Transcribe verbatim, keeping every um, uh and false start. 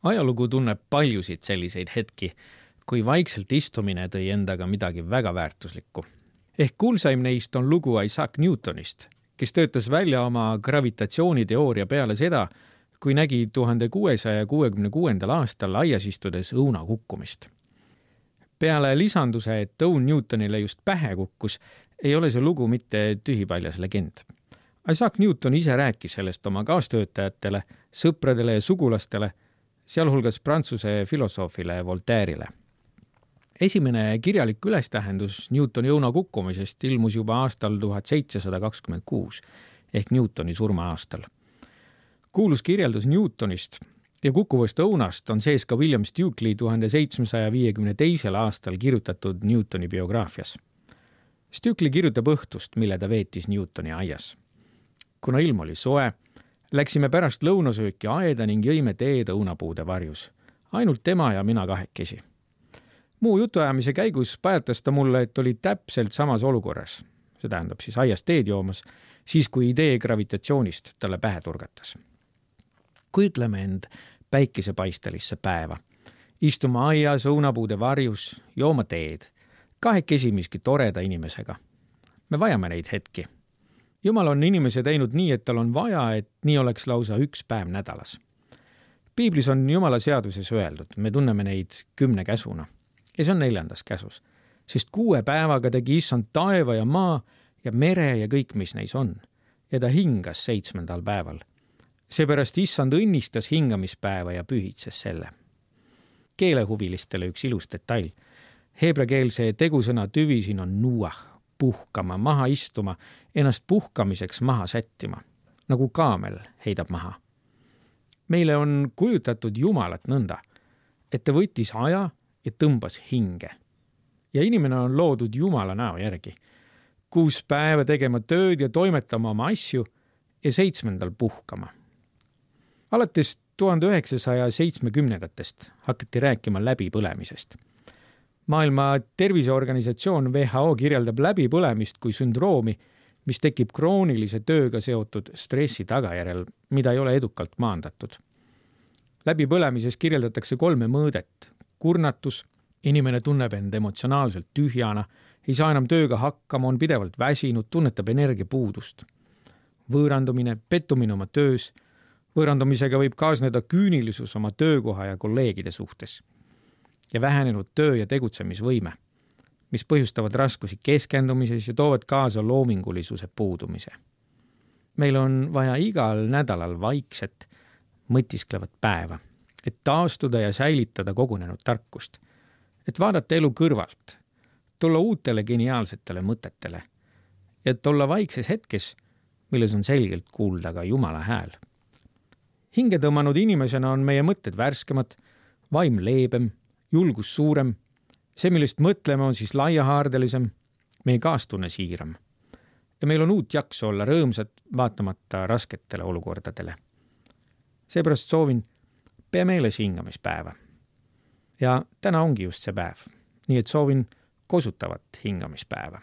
Ajalugu tunneb paljusid selliseid hetki, kui vaikselt istumine tõi endaga midagi väga väärtuslikku. Ehk kuulsaim neist on lugu Isaac Newtonist, kes töötas välja oma gravitatsiooniteooria peale seda, kui nägi tuhande kuuesaja kuuekümne kuuendal aastal aias istudes õuna kukkumist. Peale lisanduse, et õun Newtonile just pähe kukkus, ei ole see lugu mitte tühipaljas legend. Isaac Newton ise rääkis sellest oma kaastöötajatele, sõpradele ja sugulastele, sealhulgas prantsuse filosoofile Voltaire'ile. Esimene kirjalik ülestähendus Newtoni õuna kukkumisest ilmus juba aastal tuhat seitsesada kakskümmend kuus ehk Newtoni surma aastal. Kuulus kirjeldus Newtonist ja kukkuvast õunast on sees ka William Stukely tuhande seitsmesaja viiekümne teisel aastal kirjutatud Newtoni biograafias. Stukely kirjutab õhtust, mille ta veetis Newtoni aias. Kuna ilm oli soe, läksime pärast lõunasööki aeda ning jõime teed õunapuude varjus. Ainult tema ja mina kahekesi. Muu jutuajamise käigus pajatas ta mulle, et oli täpselt samas olukorras. See tähendab siis aias teed joomas, siis kui idee gravitatsioonist talle pähe turgatas. Kujutleme end päikesepaistelisse päeva. Istuma aias õunapuude varjus, jooma teed. Kahekesi miski toreda inimesega. Me vajame neid hetki. Jumal on inimese teinud nii, et tal on vaja, et nii oleks lausa üks päev nädalas. Piiblis on Jumala seaduses öeldud, me tunneme neid kümne käsuna. Ja see on neljandas käsus, sest kuue päevaga tegi issand taeva ja maa ja mere ja kõik, mis neis on. Ja ta hingas seitsmendal päeval. Seepärast issand õnnistas hingamispäeva ja pühitses selle. Keelehuvilistele üks ilus detail. Heebrekeelse tegusõna tüvi siin on nuah, puhkama, maha istuma, ennast puhkamiseks maha sättima, nagu kaamel heidab maha. Meile on kujutatud Jumalat nõnda, et ta võttis aja ja tõmbas hinge. Ja inimene on loodud Jumala näo järgi. Kuus päeva tegema tööd ja toimetama oma asju ja seitsmendal puhkama. Alates tuhande üheksasaja seitsmekümnendatest hakati rääkima läbipõlemisest. Maailma Terviseorganisatsioon W H O kirjeldab läbipõlemist kui sündroomi, mis tekib kroonilise tööga seotud stressi tagajärjel, mida ei ole edukalt maandatud. Läbipõlemises kirjeldatakse kolme mõõdet. Kurnatus, inimene tunneb end emotsionaalselt tühjana, ei saa enam tööga hakkama, on pidevalt väsinud, tunnetab energiapuudust. Võõrandumine, pettumine oma töös, võõrandumisega võib kaasneda küünilisus oma töökoha ja kolleegide suhtes ja vähenenud töö- ja tegutsemisvõime, mis põhjustavad raskusi keskendumises ja toovad kaasa loomingulisuse puudumise. Meil on vaja igal nädalal vaikset, mõtisklevat päeva, et taastuda ja säilitada kogunenud tarkust, et vaadata elu kõrvalt, tulla uutele geniaalsetele mõtetele, et olla vaikses hetkes, milles on selgelt kuulda ka Jumala hääl. Hinge tõmmanud inimesena on meie mõtted värskemad, vaim leebem, julgus suurem, see, millest mõtleme, on siis laiahaardelisem, meie kaastunne siiram. Ja meil on uut jaksu olla rõõmsad, vaatamata rasketele olukordadele. Seepärast soovin, pea meeles hingamispäeva. Ja täna ongi just see päev, nii et soovin kosutavat hingamispäeva.